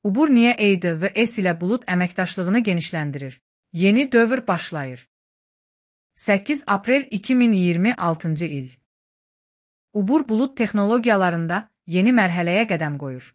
Uber niyə AWS ilə bulut əməkdaşlığını genişləndirir? Yeni dövr başlayır. 8 aprel 2026 il. Uber bulut texnologiyalarında yeni mərhələyə qədəm qoyur.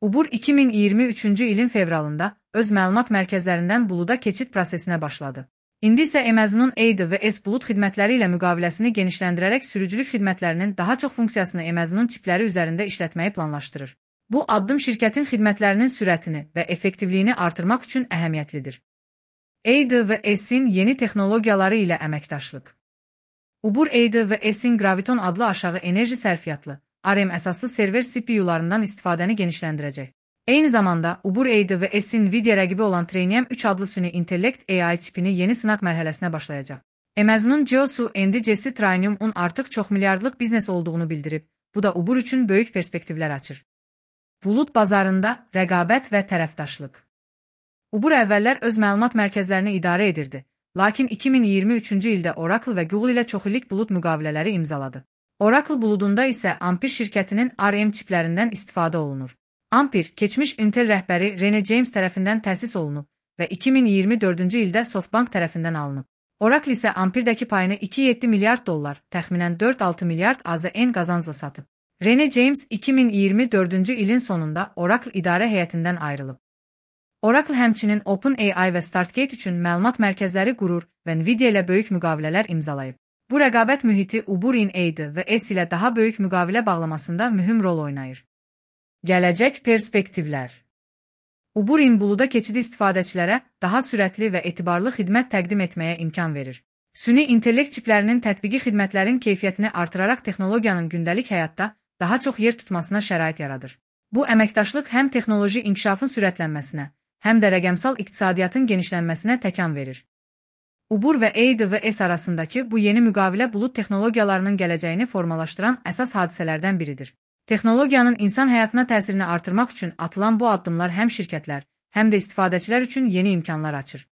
Uber 2023 ilin fevralında öz məlumat mərkəzlərindən buluda keçid prosesinə başladı. İndi isə Amazon'un AWS bulut xidmətləri ilə müqaviləsini genişləndirərək sürücülük xidmətlərinin daha çox funksiyasını Amazon'un çipləri üzərində işlətməyi planlaşdırır. Bu addım şirkətin xidmətlərinin sürətini və effektivliyini artırmaq üçün əhəmiyyətlidir. AWS-in yeni texnologiyaları ilə əməkdaşlıq. Uber AWS-in Graviton adlı aşağı enerji sərfiyyatlı, ARM əsaslı server CPU-larından istifadəni genişləndirəcək. Eyni zamanda Uber AWS-in Nvidia rəqibi olan Trainium 3 adlı süni intellekt AI çipini yeni sınaq mərhələsinə başlayacaq. Amazon'un CEO-su Andy Jassy Trainium-un artıq çox milyardlıq biznes olduğunu bildirib. Bu da Uber üçün böyük perspektivlər açır. Bulut bazarında rəqabət və tərəfdaşlıq. Uber əvvəllər öz məlumat mərkəzlərini idarə edirdi, lakin 2023-cü ildə Oracle və Google ilə çoxillik bulut müqavilələri imzaladı. Oracle buludunda isə Ampere şirkətinin ARM çiplərindən istifadə olunur. Ampere, keçmiş Intel rəhbəri Rene James tərəfindən təsis olunub və 2024-cü ildə SoftBank tərəfindən alınıb. Oracle isə Ampere'dəki payını $2,7 milyard, təxminən 4,6 milyard AZN qazancla satıb. Rene James 2024-cü ilin sonunda Oracle idarə heyətindən ayrılıb. Oracle həmçinin OpenAI və Startgate üçün məlumat mərkəzləri qurur və Nvidia ilə böyük müqavilələr imzalayıb. Bu rəqabət mühiti Uber'in AWS ilə daha böyük müqavilə bağlamasında mühüm rol oynayır. Gələcək perspektivlər. Uber'in buluda keçidi istifadəçilərə daha sürətli və etibarlı xidmət təqdim etməyə imkan verir. Süni intellekt çiplərinin tətbiqi xidmətlərin keyfiyyətini artıraraq texnologiyanın gündəlik həyatda daha çox yer tutmasına şərait yaradır. Bu əməkdaşlıq həm texnoloji inkişafın sürətlənməsinə, həm də rəqəmsal iqtisadiyyatın genişlənməsinə təkan verir. Uber və AWS arasındakı bu yeni müqavilə bulut texnologiyalarının gələcəyini formalaşdıran əsas hadisələrdən biridir. Texnologiyanın insan həyatına təsirini artırmaq üçün atılan bu addımlar həm şirkətlər, həm də istifadəçilər üçün yeni imkanlar açır.